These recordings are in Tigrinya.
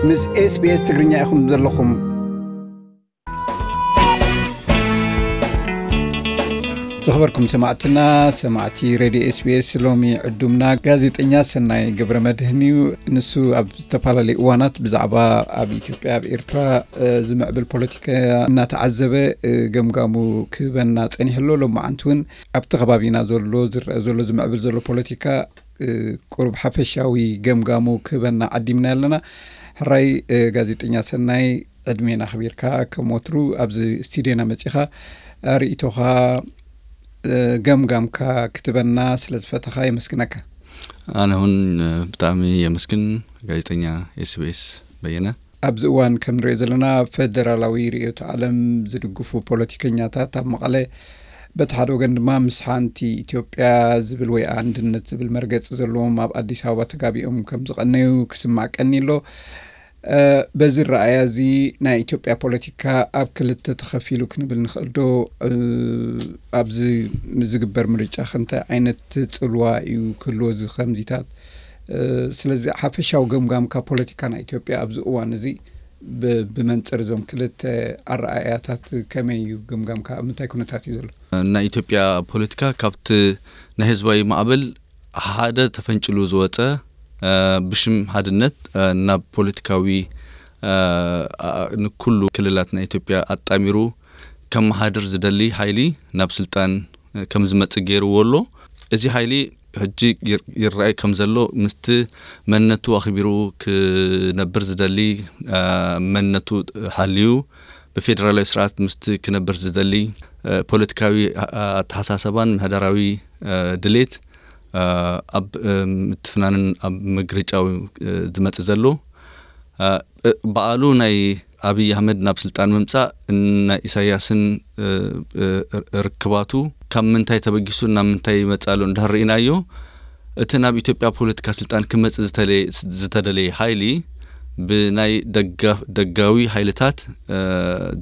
ምስ SBS ትግርኛ ኢኹም ዘለኹም። ዝኸበርኩም ሰማዕትና፣ ሰማዕቲ ሬድዮ SBS፣ ሎሚ ዕዱምና ጋዜጠኛ ሰናይ ገብረ መድህን እዩ። ንሱ ኣብ ዝተፈላለዩ እዋናት ብዛዕባ ኣብ ኢትዮጵያ፣ ኣብ ኤርትራ፣ እ፣ ዝምዕብል ፖለቲካ እናተዓዘበ፣ እ፣ ገምጋሙ ክህበና ጸኒሑ ኣሎ። ሎማዓንቲ እውን ኣብቲ ከባቢና ዘሎ ዝረአ ዘሎ ዝምዕብል ዘሎ ፖለቲካ፣ እ፣ ቁሩብ ሓፈሻዊ ገምጋሙ ክህበና ዓዲምና ኣለና። ሕራይ፣ እ፣ ጋዜጠኛ ሰናይ፣ ዕድሜና ኣኽቢርካ ከም ወትሩ ኣብዚ ስቱድዮና መጺኻ ርእይቶኻ፣ እ፣ ገምጋምካ ክትበና ስለ ዝፈተኻ የመስግነካ። ኣነ እውን፣ እ፣ ብጣዕሚ የመስግን ጋዜጠኛ SBS በየነ። ኣብዚ እዋን ከም ንሪኦ ዘለና፣ ፈደራላዊ ርእዮተ ዓለም ዝድግፉ ፖለቲከኛታት ኣብ መቐለ፣ በቲ ሓደ ወገን ድማ ምስ ሓንቲ ኢትዮጵያ ዝብል ወይ ኣንድነት ዝብል መርገጺ ዘለዎም ኣብ ኣዲስ ኣበባ ተጋቢኦም ከም ዝቐነዩ ክስማዕ ቀኒ ኣሎ። እ፣ በዚ ረኣያ እዚ ናይ ኢትዮጵያ ፖለቲካ ኣብ ክልተ ተኸፊሉ ክንብል ንኽእል ዶ? እ፣ ኣብዚ ዝግበር ምርጫ ከ እንታይ ዓይነት ጽልዋ እዩ ክህልዎ እዚ ከምዚታት? እ፣ ስለዚ ሓፈሻዊ ገምጋምካ ፖለቲካ ናይ ኢትዮጵያ ኣብዚ እዋን እዚ ብ-፣ ብመንጽር እዞም ክልተ ኣረኣእያታት ከመይ እዩ ገምጋምካ? ኣብ ምንታይ ኩነታት እዩ ዘሎ? ናይ ኢትዮጵያ ፖለቲካ ካብቲ ናይ ህዝባዊ ማዕበል ሓደ ተፈንጭሉ ዝወጸ፣ እ፣ ብሽም ሓድነት፣ እ፣ ናብ ፖለቲካዊ፣ እ፣ ኣ-፣ ንኩሉ ክልላት ናይ ኢትዮጵያ ኣጣሚሩ ከመሓድር ዝደሊ ሓይሊ ናብ ስልጣን፣ እ፣ ከም ዝመጽእ ገይርዎ ኣሎ። እዚ ሓይሊ ሕጂ ይር-፣ ይረኣይ ከም ዘሎ ምስቲ መንነቱ ኣኽቢሩ ክነብር ዝደሊ፣ እ፣ መንነቱ ሓልዩ ብፌደራላዊ ስርዓት ምስቲ ክነብር ዝደሊ፣ እ፣ ፖለቲካዊ፣ እ፣ ኣተሓሳሰባን ምሕደራዊ፣ እ፣ ድሌት፣ እ፣ ኣብ፣ እ፣ ምትፍናንን ኣብ ምግርጫው፣ እ፣ ዝመጽእ ዘሎ። እ፣ እ፣ በዓሉ ናይ ኣብይ ኣህመድ ናብ ስልጣን ምምጻእ ናይ ኢሳያስን፣ እ፣ እ፣ ር-፣ ርክባቱ ካብ ምንታይ ተበጊሱ ናብ ምንታይ ይመጽእ ኣሎ እንድሕር ርኢናዮ፣ እቲ ናብ ኢትዮጵያ ፖለቲካ ስልጣን ክመጽእ ዝተለ-፣ ዝተደለየ ሓይሊ ብናይ ደጋ-፣ ደጋዊ ሓይልታት፣ እ፣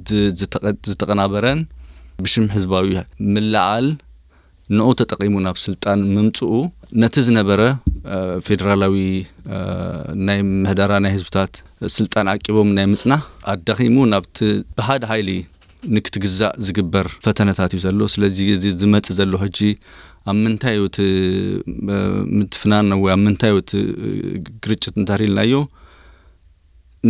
ዝ-፣ ዝተቐ-፣ ዝተቐናበረን ብሽም ህዝባዊ ምልዓል ንኡ ተጠቒሙ ናብ ስልጣን ምምጽኡ ነቲ ዝነበረ፣ እ፣ ፌደራላዊ፣ እ፣ ናይ ምሕደራ ናይ ህዝብታት ስልጣን ዓቂቦም ናይ ምጽናሕ ኣዳኺሙ ናብቲ ብሓደ ሓይሊ ንክትግዛእ ዝግበር ፈተነታት እዩ ዘሎ። ስለዚ እዚ ዝመጽእ ዘሎ ሕጂ ኣብ ምንታይ እዩ እቲ፣ እ፣ ምትፍናን ወይ ኣብ ምንታይ እዩ እቲ፣ እ፣ ግርጭት እንተሪልናዮ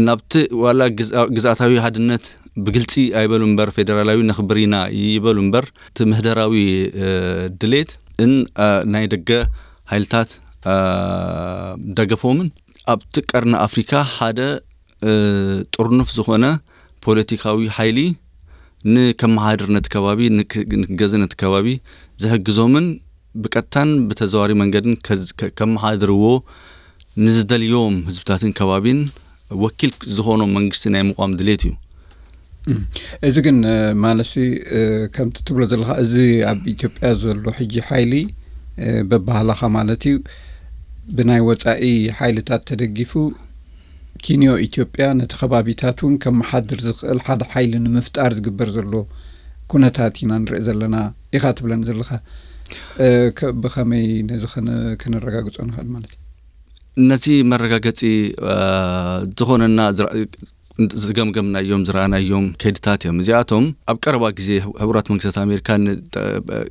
ናብቲ ዋላ ግዝኣ-፣ ግዝኣታዊ ሓድነት ብግልጺ ኣይበሉ እምበር ፌደራላዊ ነኽብር ኢና ይበሉ እምበር እቲ ምሕደራዊ፣ እ፣ ድሌት ን፣ እ፣ ናይ ደገ ሓይልታት፣ እ፣ ደገፎምን ኣብቲ ቀርኒ ኣፍሪካ ሓደ፣ እ፣ ጥርኑፍ ዝኾነ ፖለቲካዊ ሓይሊ ንከመሓድር ነቲ ከባቢ፣ ንክ-፣ ንክገዝእ ነቲ ከባቢ ዝሕግዞምን ብቀጥታን ብተዘዋዋሪ መንገድን ከዝ-፣ ከ-፣ ከመሓድርዎ ንዝደልዮም ህዝብታትን ከባቢን ወኪል ዝኾኖም መንግስቲ ናይ ምቋም ድሌት እዩ። እም፣ እዚ ግን፣ እ፣ ማለትሲ፣ እ፣ ከምቲ ትብሎ ዘለኻ፣ እዚ ኣብ ኢትዮጵያ ዘሎ ሕጂ ሓይሊ፣ እ፣ በባህላኻ ማለት እዩ፣ ብናይ ወጻኢ ሓይልታት ተደጊፉ ኪንዮ ኢትዮጵያ ነቲ ከባቢታት እውን ከመሓድር ዝኽእል ሓደ ሓይሊ ንምፍጣር ዝግበር ዘሎ ኩነታት ኢና ንርኢ ዘለና ኢኻ ትብለኒ ዘለኻ። እ፣ ከ-፣ ብኸመይ ነዚ ከነ-፣ ከነረጋግጾ ንኽእል ማለት እዩ? ነቲ መረጋገጺ፣ እ፣ ዝኾነና ዝረ-፣ ዝገምገምናዮም፣ ዝረኣናዮም ከይድታት እዮም። እዚኣቶም ኣብ ቀረባ ግዜ ሕቡራት መንግስታት ኣሜሪካ ን-፣ ጠ-፣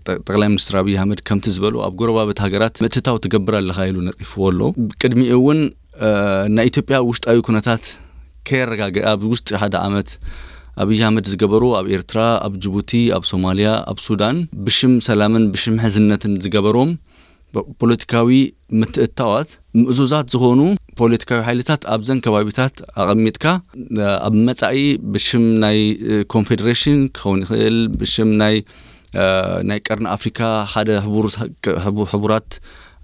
ጠ-፣ ጠቅላይ ሚኒስትር ኣብይ ኣህመድ ከምቲ ዝበሉ ኣብ ጎረባብቲ ሃገራት ምእትታው ትገብር ኣለኻ ኢሉ ነቂፍዎ ኣሎ። ቅድሚኡ እውን፣ እ፣ ናይ ኢትዮጵያ ውሽጣዊ ኩነታት ከየረጋገ-፣ ኣብ ውሽጢ ሓደ ዓመት ኣብይ ኣህመድ ዝገበሩ ኣብ ኤርትራ፣ ኣብ ጅቡቲ፣ ኣብ ሶማልያ፣ ኣብ ሱዳን ብሽም ሰላምን ብሽም ሕዝነትን ዝገበሮም ፖ-፣ ፖለቲካዊ ምትእትታዋት ምእዙዛት ዝኾኑ ፖለቲካዊ ሓይልታት ኣብዘን ከባቢታት ኣቐሚጥካ፣ እ፣ ኣብ መጻኢ ብሽም ናይ፣ እ፣ ኮንፌደሬሽን ክኸውን ይኽእል፣ ብሽም ናይ፣ እ፣ ናይ ቀርኒ ኣፍሪካ ሓደ ሕቡር-፣ ሕቡ-፣ ሕቡራት፣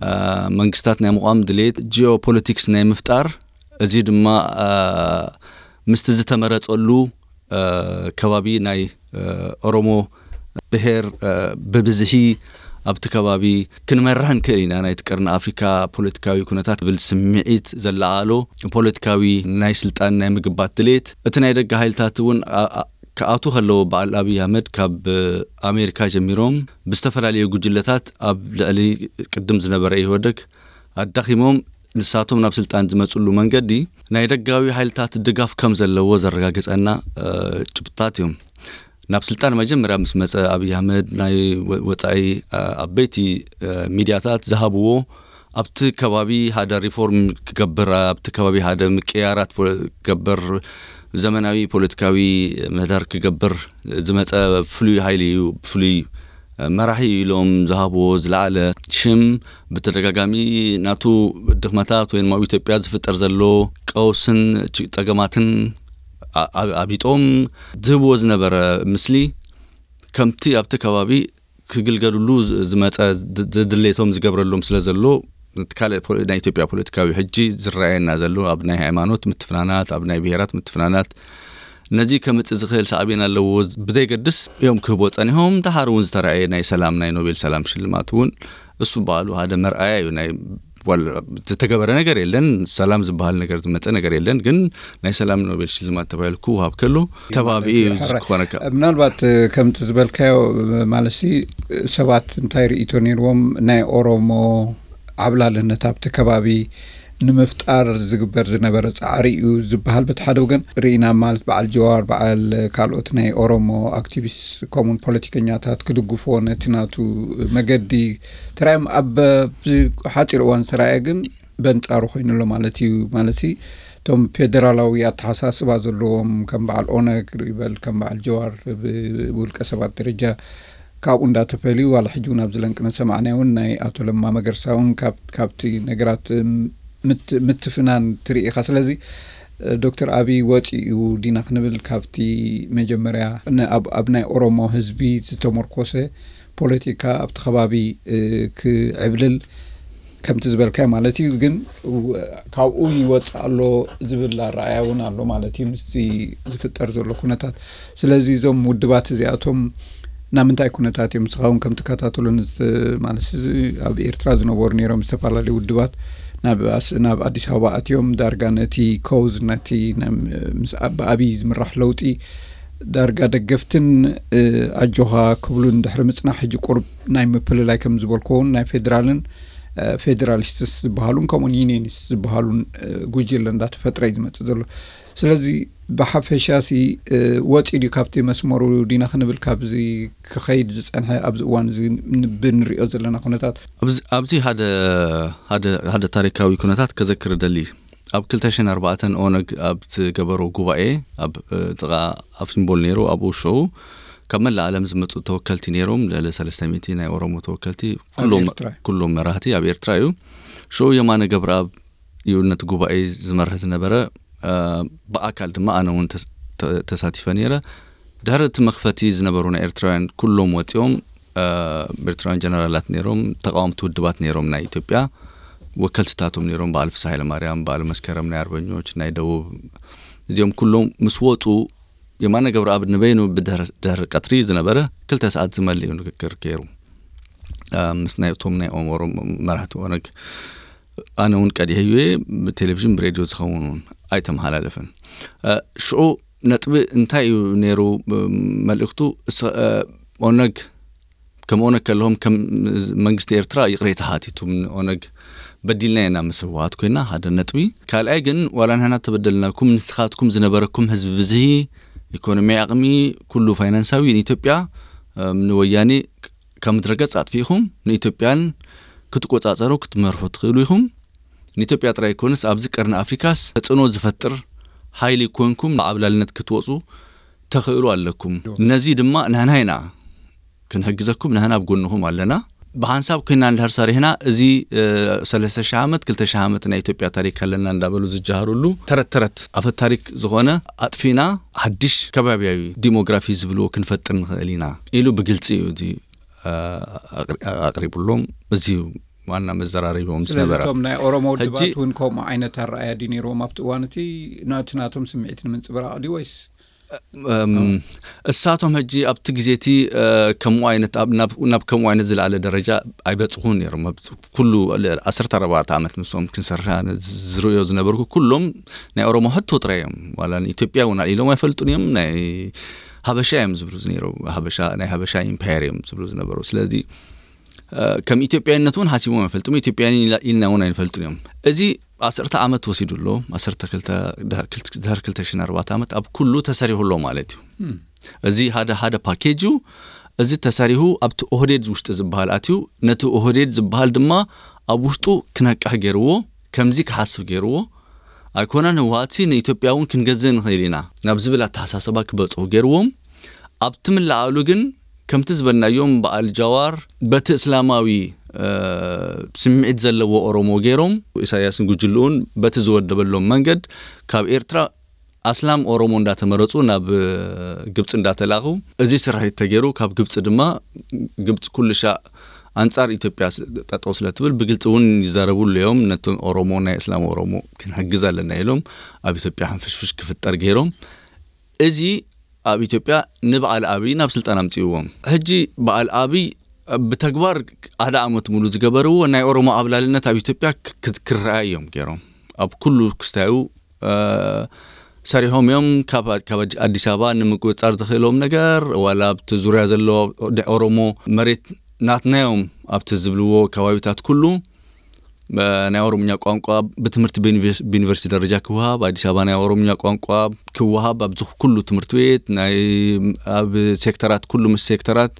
እ፣ መንግስታት ናይ ምቋም ድሌት ጂኦፖለቲክስ ናይ ምፍጣር፣ እዚ ድማ፣ እ፣ ምስቲ ዝተመረጸሉ፣ እ፣ ከባቢ ናይ፣ እ፣ ኦሮሞ ብሄር፣ እ፣ ብብዝሒ ኣብቲ ከባቢ ክንመርሕ ንክእል ኢና። ናይቲ ቀርኒ ኣፍሪካ ፖለቲካዊ ኩነታት ዝብል ስምዒት ዘለዓሎ ፖለቲካዊ ናይ ስልጣን ናይ ምግባት ድሌት፣ እቲ ናይ ደገ ሓይልታት እውን ኣ-፣ ኣ-፣ ክኣትዉ ከለዎ በዓል ኣብይ ኣህመድ ካብ ኣሜሪካ ጀሚሮም ብዝተፈላለዩ ጉጅለታት ኣብ ልዕሊ ቅድም ዝነበረ ኢህወደግ ኣዳኺሞም ንሳቶም ናብ ስልጣን ዝመፅሉ መንገዲ ናይ ደጋዊ ሓይልታት ድጋፍ ከም ዘለዎ ዘረጋግፀና ጭብጥታት እዮም። ናብ ስልጣን መጀመርያ ምስ መፀ ኣብይ ኣህመድ ናይ ወፃኢ ዓበይቲ ሚድያታት ዝሃብዎ ኣብቲ ከባቢ ሓደ ሪፎርም ክገብር፣ ኣብቲ ከባቢ ሓደ ምቅያራት ክገብር፣ ዘመናዊ ፖለቲካዊ ምህዳር ክገብር ዝመፀ ፍሉይ ሓይሊ እዩ፣ ፍሉይ መራሒ ኢሎም ዝሃብዎ ዝለዓለ ሽም፣ ብተደጋጋሚ ናቱ ድኽመታት ወይ ድማ ኣብ ኢትዮጵያ ዝፍጠር ዘሎ ቀውስን ጸገማትን ኣቢጦም ዝህብዎ ዝነበረ ምስሊ ከምቲ ኣብቲ ከባቢ ክግልገሉሉ ዝመፀ ድሌቶም ዝገብረሎም ስለ ዘሎ፣ ካልእ ናይ ኢትዮጵያ ፖለቲካዊ ሕጂ ዝረኣየና ዘሎ ኣብ ናይ ሃይማኖት ምትፍናናት፣ ኣብ ናይ ብሄራት ምትፍናናት፣ ነዚ ከምፅእ ዝኽእል ሳዕቤን ኣለዎ ብዘይገድስ እዮም ክህቦ ፀኒሖም። ደሓር እውን ዝተረኣየ ናይ ሰላም፣ ናይ ኖቤል ሰላም ሽልማት እውን እሱ በዓሉ ሓደ መርኣያ እዩ። ናይ ዝተተገበረ ነገር የለን፣ ሰላም ዝበሃል ነገር ዝመፀ ነገር የለን። ግን ናይ ሰላም ኖቤል ሽልማት ተባሂሉ ክወሃብ ከሎ ተባቢ እዩ ዝኾነካ። ምናልባት ከምቲ ዝበልካዮ ማለትሲ ሰባት እንታይ ርእይቶ ነይርዎም፣ ናይ ኦሮሞ ዓብላልነት ኣብቲ ከባቢ ንምፍጣር ዝግበር ዝነበረ ፃዕሪ እዩ ዝበሃል በቲ ሓደ ወገን ርኢና፣ ማለት በዓል ጀዋር፣ በዓል ካልኦት ናይ ኦሮሞ ኣክቲቪስት ከምኡን ፖለቲከኛታት ክድግፎ ነቲ ናቱ መገዲ ተራእዮም ኣብ ሓፂር እዋን ዝተራእየ ግን በንፃሩ ኮይኑ ኣሎ ማለት እዩ። ማለት እቶም ፌደራላዊ ኣተሓሳስባ ዘለዎም ከም በዓል ኦነግ ይበል ከም በዓል ጀዋር ብውልቀ ሰባት ደረጃ ካብኡ እንዳተፈልዩ ዋላ ሕጂ እውን ኣብዚ ለንቅነ ሰማዕናዮ እውን ናይ ኣቶ ለማ መገርሳ እውን ካብቲ ነገራት ምትፍናን ትርኢ ኢኻ። ስለዚ ዶክተር ኣብይ ወፂኡ ዲና ክንብል ካብቲ መጀመርያ ኣብ ናይ ኦሮሞ ህዝቢ ዝተመርኮሰ ፖለቲካ ኣብቲ ከባቢ ክዕብልል ከምቲ ዝበልካዮ ማለት እዩ። ግን ካብኡ ይወፅእ ኣሎ ዝብል ኣረኣያ እውን ኣሎ ማለት እዩ ምስዚ ዝፍጠር ዘሎ ኩነታት። ስለዚ እዞም ውድባት እዚኣቶም ናብ ምንታይ ኩነታት እዮም? ንስኻ እውን ከም ትከታተሎ ማለት እዚ ኣብ ኤርትራ ዝነበሩ ነይሮም ዝተፈላለዩ ውድባት ናብ ኣስ- ናብ ኣዲስ ኣበባ ኣትዮም ዳርጋ ነቲ ኮዝ ነቲ ናይ- ምስ ኣ- ብኣብይ ዝምራሕ ለውጢ ዳርጋ ደገፍትን እ፣ ኣጆኻ ክብሉን ድሕሪ ምጽናሕ ሕጂ ቁርብ ናይ ምፍልላይ ከም ዝበልኩ እውን ናይ ፌዴራልን እ፣ ፌዴራሊስትስ ዝበሃሉን ከምኡን ዩኒየኒስት ዝበሃሉን እ፣ ጉጅለ እንዳተፈጥረ እዩ ዝመጽእ ዘሎ። ስለዚ ብሓፈሻ ሲ ወፂ ድዩ ካብቲ መስመሩ ዲና ክንብል ካብዚ ክኸይድ ዝፀንሐ ኣብዚ እዋን እዚ ብንሪኦ ዘለና ኩነታት? ኣብዚ ሓደ ሓደ ታሪካዊ ኩነታት ከዘክር ደሊ። ኣብ ክልተ ሽሕን ኣርባዕተን ኦነግ ኣብ ዝገበሮ ጉባኤ ኣብ ጥቓ ኣፍሲምቦል ነይሩ። ኣብኡ ሽዑ ካብ መላእ ዓለም ዝመፁ ተወከልቲ ነይሮም። ልዕሊ ሰለስተ ሚእቲ ናይ ኦሮሞ ተወከልቲ ኩሎም መራህቲ ኣብ ኤርትራ እዩ። ሽዑ የማነ ገብረኣብ እዩ ነቲ ጉባኤ ዝመርህ ዝነበረ። ብኣካል ድማ ኣነ እውን ተሳቲፈ ነይረ። ድሕሪ እቲ መኽፈቲ ዝነበሩ ናይ ኤርትራውያን ኩሎም ወፂኦም፣ ኤርትራውያን ጀነራላት ነይሮም፣ ተቃወምቲ ውድባት ነይሮም ናይ ኢትዮጵያ ወከልትታቶም ነይሮም፣ በዓል ፍስሃ ሃይለማርያም፣ በዓል መስከረም ናይ ኣርበኞች ናይ ደቡብ፣ እዚኦም ኩሎም ምስ ወፁ የማነ ገብረኣብ ንበይኑ ብድሕሪ ቀትሪ ዝነበረ ክልተ ሰዓት ዝመልእ እዩ ንግግር ገይሩ ምስ ናይ እቶም ናይ ኦሞሮ መራሕቲ ኦነግ። ኣነ እውን ቀዲሐዩ እየ። ብቴሌቪዥን ብሬድዮ ዝኸውን እውን ኣይተመሓላለፈን። ሽዑ ነጥቢ እንታይ እዩ ነይሩ? መልእክቱ ኦነግ ከም ኦነግ ከለዎም ከም መንግስቲ ኤርትራ ይቕሬታ ሓቲቱ። ኦነግ በዲልና ኢና ምስ ህወሓት ኮይና ሓደ ነጥቢ። ካልኣይ ግን ዋላ ንሕና ተበደልናኩም ንስኻትኩም ዝነበረኩም ህዝቢ ብዝሂ ኢኮኖሚ ኣቕሚ ኩሉ ፋይናንሳዊ ንኢትዮጵያ ንወያኔ ካብ ምድረገጽ ኣጥፊእኹም ንኢትዮጵያን ክትቆጻጸሩ ክትመርሑ ትኽእሉ ኢኹም። ንኢትዮጵያ ጥራይ ኣይኮንስ ኣብዚ ቀርኒ ኣፍሪካስ ተጽዕኖ ዝፈጥር ሓይሊ ኮንኩም ንዓብላልነት ክትወጹ ተኽእሉ ኣለኩም። ነዚ ድማ ንሕና ኢና ክንሕግዘኩም፣ ንሕና ኣብ ጎንኹም ኣለና። ብሓንሳብ ኮይና እንድሕር ሰሪሕና እዚ ሰለስተ ሺሕ ዓመት ክልተ ሺሕ ዓመት ናይ ኢትዮጵያ ታሪክ ኣለና እንዳበሉ ዝጀሃሩሉ ተረት ተረት ኣፈ ታሪክ ዝኾነ ኣጥፊና ሓድሽ ከባቢያዊ ዲሞግራፊ ዝብልዎ ክንፈጥር ንኽእል ኢና ኢሉ ብግልፂ እዩ እዚ ኣቕሪቡሎም። እዚ ዋና መዘራረቢኦም ዝነበረ። እቶም ናይ ኦሮሞ ውድባት እውን ከምኡ ዓይነት ኣረኣያ ድዩ ነይርዎም ኣብቲ እዋን እቲ ነቲ ናቶም ስምዒት ንምንፅብራቕ ድዩ ወይስ እሳቶም ሕጂ ኣብቲ ግዜ እቲ ከምኡ ዓይነት ናብ ከምኡ ዓይነት ዝለዓለ ደረጃ ኣይበፅኹን ነይሮም። ኩሉ ዓሰርተ ኣርባዕተ ዓመት ምስኦም ክንሰርሕ ዝርእዮ ዝነበርኩ ኩሎም ናይ ኦሮሞ ሕቶ ጥራይ እዮም። ዋላ ንኢትዮጵያ እውን ኣልኢሎም ኣይፈልጡን እዮም። ናይ ሃበሻ እዮም ዝብሉ ዝነይሩ። ሃበሻ ናይ ሃበሻ ኢምፓየር እዮም ዝብሉ ዝነበሩ። ስለዚ ከም ኢትዮጵያዊነት እውን ሓሲቦም ኣይፈልጡም። ኢትዮጵያውያን ኢልና እውን ኣይንፈልጡን እዮም። እዚ ዓሰርተ ዓመት ወሲዱ ኣሎ። ዓሰርተ ክልተ ድሕር ክልተ- ድሕር ክልተ ሽሕን ኣርባዕተ ዓመት ኣብ ኩሉ ተሰሪሑ ኣሎ ማለት እዩ። እዚ ሓደ ሓደ ፓኬጅ እዩ። እዚ ተሰሪሑ ኣብቲ ኦህዴድ ውሽጢ ዝበሃል ኣትዩ፣ ነቲ ኦህዴድ ዝበሃል ድማ ኣብ ውሽጡ ክነቅሕ ገይርዎ፣ ከምዚ ክሓስብ ገይርዎ። ኣይኮነን ህወሓትሲ ንኢትዮጵያ እውን ክንገዝእ ንኽእል ኢና ናብ ዝብል ኣተሓሳስባ ክበፅሑ ገይርዎም። ኣብቲ ምልዓሉ ግን ከምቲ ዝበልናዮም በዓል ጃዋር በቲ እስላማዊ ስምዒት ዘለዎ ኦሮሞ ገይሮም ኢሳያስን ጉጅልኡን በቲ ዝወደበሎም መንገድ ካብ ኤርትራ ኣስላም ኦሮሞ እንዳተመረፁ ናብ ግብፂ እንዳተላኹ፣ እዚ ስርሒት ተገይሩ። ካብ ግብፂ ድማ ግብፂ ኩሉ ሻዕ ኣንፃር ኢትዮጵያ ጠጠው ስለትብል ብግልፂ እውን ይዛረቡ ኣለዮም። ነቶም ኦሮሞ ናይ እስላም ኦሮሞ ክንሕግዝ ኣለና ኢሎም ኣብ ኢትዮጵያ ሕንፍሽፍሽ ክፍጠር ገይሮም። እዚ ኣብ ኢትዮጵያ ንበዓል ኣብይ ናብ ስልጣን ኣምፅእዎም። ሕጂ በዓል ኣብይ ብተግባር ሓደ ዓመት ሙሉ ዝገበርዎ ናይ ኦሮሞ ዓብላልነት ኣብ ኢትዮጵያ ክረኣ እዮም ገይሮም። ኣብ ኩሉ ክስታዩ ሰሪሖም እዮም። ካብ ኣዲስ ኣበባ ንምቁፅፃር ዝኽእሎም ነገር ዋላ ኣብቲ ዙርያ ዘሎ ናይ ኦሮሞ መሬት ናትናዮም ኣብቲ ዝብልዎ ከባቢታት ኩሉ ናይ ኦሮምኛ ቋንቋ ብትምህርቲ ብዩኒቨርሲቲ ደረጃ ክወሃብ፣ ኣዲስ ኣበባ ናይ ኦሮምኛ ቋንቋ ክወሃብ፣ ኣብዚ ኩሉ ትምህርቲ ቤት ኣብ ሴክተራት ኩሉ ምስ ሴክተራት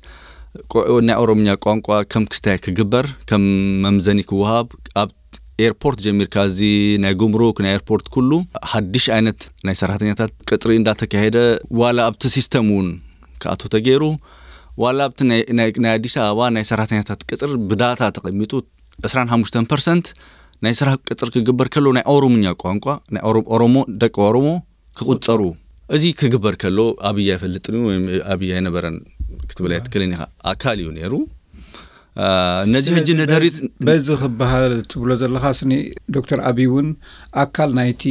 ናይ ኦሮምኛ ቋንቋ ከም ክስታይ ክግበር ከም መምዘኒ ክወሃብ፣ ኣብ ኤርፖርት ጀሚርካ እዚ ናይ ጉምሩክ ናይ ኤርፖርት ኩሉ ሓድሽ ዓይነት ናይ ሰራሕተኛታት ቅፅሪ እንዳተካሄደ ዋላ ኣብቲ ሲስተም እውን ክኣቶ ተገይሩ። ዋላ ኣብቲ ናይ ኣዲስ ኣበባ ናይ ሰራሕተኛታት ቅፅር ብዳታ ተቐሚጡ ዕስራን ሓሙሽተን ፐርሰንት ናይ ስራሕ ቅፅር ክግበር ከሎ ናይ ኦሮምኛ ቋንቋ ናይ ኦሮሞ ደቂ ኦሮሞ ክቁፀሩ፣ እዚ ክግበር ከሎ ኣብይ ኣይፈልጥን እዩ ወይም ኣብይ ኣይነበረን ክትብል ኣይትክልን ኢኻ። ኣካል እዩ ነይሩ። ነዚ ሕጂ ነደሪት በዚ ክበሃል ትብሎ ዘለኻ ስኒ ዶክተር ኣብይ እውን ኣካል ናይቲ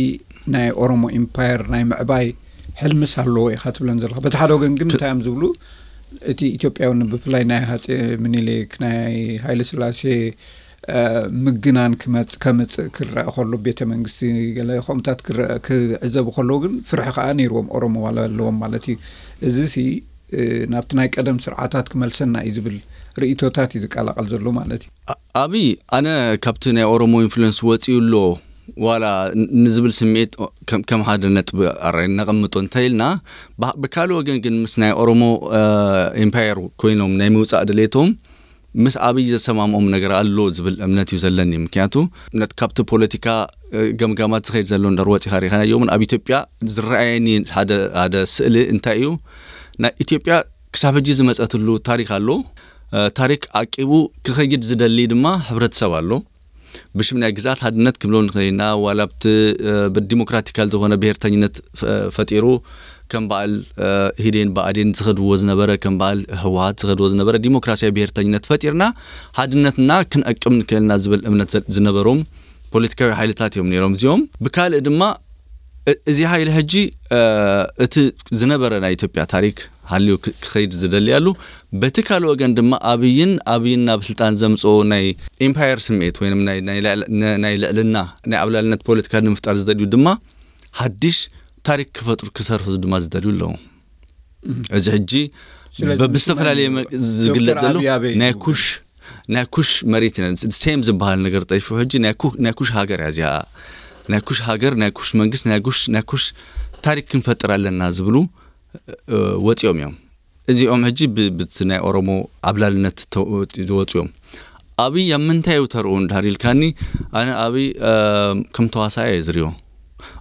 ናይ ኦሮሞ ኢምፓየር ናይ ምዕባይ ሕልምስ ኣለዎ ኢኻ ትብለን ዘለኻ። በቲ ሓደ ወገን ግን እንታይ እዮም ዝብሉ እቲ ኢትዮጵያዊ ብፍላይ ናይ ሃፀ ምኒልክ ናይ ሃይለ ስላሴ ምግናን ክመፅ ከምፅእ ክረአ ከሎ ቤተ መንግስቲ ገለ ከምታት ክረአ ክዕዘቡ ከለዉ ግን ፍርሒ ከዓ ነይርዎም ኦሮሞ ዋላ ኣለዎም ማለት እዩ። እዚ ሲ ናብቲ ናይ ቀደም ስርዓታት ክመልሰና እዩ ዝብል ርእቶታት እዩ ዝቀላቀል ዘሎ ማለት እዩ። ኣብይ ኣነ ካብቲ ናይ ኦሮሞ ኢንፍሉንስ ወፂኡ ኣሎ ዋላ ንዝብል ስምዒት ከም ሓደ ነጥቢ ኣራይ ነቐምጦ እንተ ኢልና፣ ብካልእ ወገን ግን ምስ ናይ ኦሮሞ ኤምፓየር ኮይኖም ናይ ምውፃእ ድሌቶም ምስ ኣብይ ዘሰማምኦም ነገር ኣሎ ዝብል እምነት እዩ ዘለኒ። ምክንያቱ ነት ካብቲ ፖለቲካ ገምጋማት ዝኸይድ ዘሎ እንደር ወፂኻ ሪኻናዮ እውን ኣብ ኢትዮጵያ ዝረኣየኒ ሓደ ስእሊ እንታይ እዩ? ናይ ኢትዮጵያ ክሳብ ሕጂ ዝመፀትሉ ታሪክ ኣሎ። ታሪክ ዓቂቡ ክኸይድ ዝደሊ ድማ ሕብረተሰብ ኣሎ። ብሽም ናይ ግዝኣት ሓድነት ክብሎ ንኽእል ኢና። ዋላ ኣብቲ ብዲሞክራቲካል ዝኾነ ብሄርተኝነት ፈጢሩ ከም በዓል ኢህዴን ብኣዴን ዝኸድዎ ዝነበረ ከም በዓል ህወሓት ዝኸድዎ ዝነበረ ዲሞክራሲያዊ ብሄርተኝነት ፈጢርና ሓድነትና ክንዕቅብ ንክእልና ዝብል እምነት ዝነበሮም ፖለቲካዊ ሓይልታት እዮም ነይሮም እዚኦም። ብካልእ ድማ እዚ ሓይሊ ሕጂ እቲ ዝነበረ ናይ ኢትዮጵያ ታሪክ ሃልዩ ክኸይድ ዝደሊ ኣሉ። በቲ ካልእ ወገን ድማ ኣብይን ኣብይን ናብ ስልጣን ዘምፅኦ ናይ ኢምፓየር ስምዒት ወይ ናይ ልዕልና ናይ ዓብላልነት ፖለቲካ ንምፍጣር ዝደልዩ ድማ ሓድሽ ታሪክ ክፈጥሩ ክሰርሑ ድማ ዝደልዩ ኣለዉ። እዚ ሕጂ ብዝተፈላለየ ዝግለፅ ዘሎ ናይ ኩሽ ናይ ኩሽ መሬት ኢና ሴም ዝበሃል ነገር ጠይፉ ሕጂ ናይ ኩሽ ሃገር እያ እዚኣ። ናይ ኩሽ ሃገር ናይ ኩሽ መንግስት ናይ ኩሽ ናይ ኩሽ ታሪክ ክንፈጥር ኣለና ዝብሉ ወፂኦም እዮም። እዚኦም ሕጂ ብቲ ናይ ኦሮሞ ዓብላልነት ዝወፁ እዮም። ኣብይ ኣብ ምንታይ እዩ ተርኡ እንዳር ኢልካኒ ኣነ ኣብይ ከም ተዋሳኢ እየ ዝሪኦ።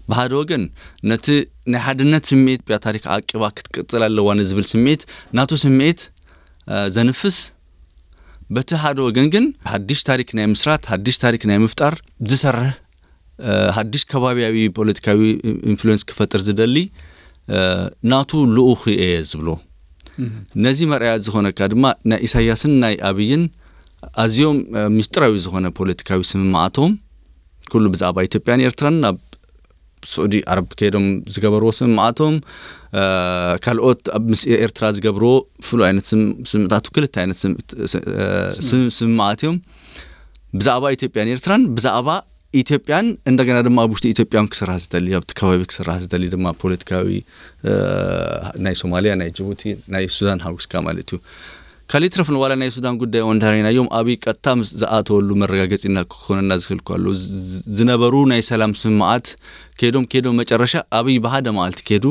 ብሓደ ወገን ነቲ ናይ ሓድነት ስምዒት ብያ ታሪክ ዓቂባ ክትቅፅል ኣለዋ ንዝብል ስምዒት ናቱ ስምዒት ዘንፍስ፣ በቲ ሓደ ወገን ግን ሓድሽ ታሪክ ናይ ምስራት ሓድሽ ታሪክ ናይ ምፍጣር ዝሰርሕ ሓድሽ ከባቢያዊ ፖለቲካዊ ኢንፍሉንስ ክፈጥር ዝደሊ ናቱ ልኡኽ እየ ዝብሎ። ነዚ መርኣያ ዝኾነካ ድማ ናይ ኢሳያስን ናይ ኣብይን ኣዝዮም ሚስጥራዊ ዝኾነ ፖለቲካዊ ስምምዓቶም ኩሉ ብዛዕባ ኢትዮጵያን ኤርትራን ናብ ስዑዲ ዓረብ ከይዶም ዝገበርዎ ስምምዓቶም ካልኦት ኣብ ምስ ኤርትራ ዝገብርዎ ፍሉይ ዓይነት ስምምዕታት ክልተ ዓይነት ስምምዓት እዮም። ብዛዕባ ኢትዮጵያን ኤርትራን ብዛዕባ ኢትዮጵያን እንደገና ድማ ኣብ ውሽጢ ኢትዮጵያን ክስራሕ ዝደሊ ኣብቲ ከባቢ ክስራሕ ዝደሊ ድማ ፖለቲካዊ ናይ ሶማሊያ ናይ ጅቡቲ ናይ ሱዳን ሓዊስካ ማለት እዩ። ካልእ ይትረፍ ንዋላ ናይ ሱዳን ጉዳይ እውን እንተሪእናዮም ኣብይ ቀጥታ ምስ ዝኣተወሉ መረጋገፂ እና ክኾነና ዝኽእል እኮ ኣሎ። ዝ- ዝነበሩ ናይ ሰላም ስምምዓት ከይዶም ከይዶም መጨረሻ ኣብይ ብሓደ መዓልቲ ከይዱ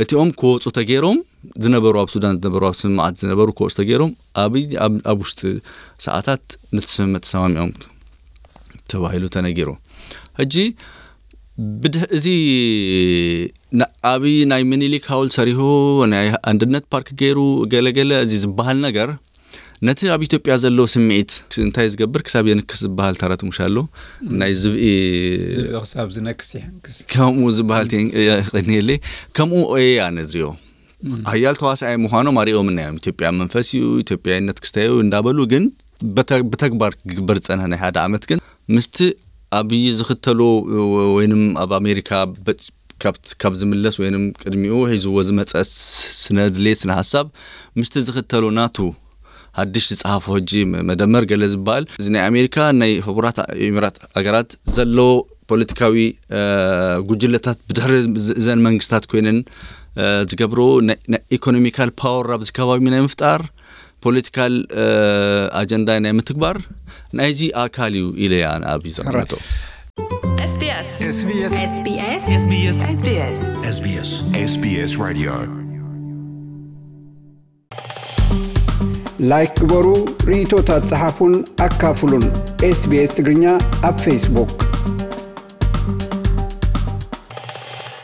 እቲኦም ክወፁ ተገይሮም ዝነበሩ ኣብ ሱዳን ዝነበሩ ኣብ ስምምዓት ዝነበሩ ክወፁ ተገይሮም ኣብይ ኣብ ኣብ ውሽጢ ሰዓታት ነቲ ስምምዕ ተሰማሚዖም ተባሂሉ ተነጊሩ። ሕጂ ብድህ እዚ ና- ኣብይ ናይ ምኒልክ ሃውል ሰሪሁ ናይ ኣንድነት ፓርክ ገይሩ ገለገለ እዚ ዝበሃል ነገር ነቲ ኣብ ኢትዮጵያ ዘሎ ስምዒት እንታይ ዝገብር ክሳብ የንክስ ዝበሃል ተረት ሙሽ ኣሎ ናይ ዝብኢ ዝብኢ ክሳብ ዝነክስ ይሕንክስ። ከምኡ ዝበሃል የቀኒየለይ። ከምኡ እየ ኣነ ዝሪኦ። ሓያል ተዋሳኣይ ምዃኖም ኣሪኦምና እዮም። ኢትዮጵያ መንፈስ እዩ፣ ኢትዮጵያዊነት ክስተዩ እንዳበሉ ግን በተ- ብተግባር ክግበር ዝፀንሐ ናይ ሓደ ዓመት ግን ምስቲ ኣብይ ዝኽተሎ ወይንም ኣብ ኣሜሪካ በ- ካብ- ካብ ዝምለስ ወይንም ቅድሚኡ ሒዝዎ ዝመፀ ስ- ስነ ድሌት ስነ ሓሳብ ምስቲ ዝኽተሎ ናቱ ሓድሽ ዝፀሓፎ ሕጂ መ- መደመር ገለ ዝበሃል እዚ ናይ ኣሜሪካ ናይ ሕቡራት ኢሚራት ሃገራት ዘሎ ፖለቲካዊ እ፣ ጉጅለታት ብድሕሪ ዝ- እዘን መንግስታት ኮይነን እ፣ ዝገብሮ ናይ- ናይ ኢኮኖሚካል ፓወር ኣብዚ ከባቢ ናይ ምፍጣር ፖለቲካል እ፣ ኣጀንዳ ናይ ምትግባር ናይዚ ኣካል እዩ ኢለ እያ ኣብዚ ዘቐመጦ። SBS SBS SBS SBS SBS SBS SBS Radio ላይክ ግበሩ፣ ርእይቶታት ጸሓፉን ኣካፍሉን። ኤስቢኤስ ትግርኛ ኣብ ፌስቡክ።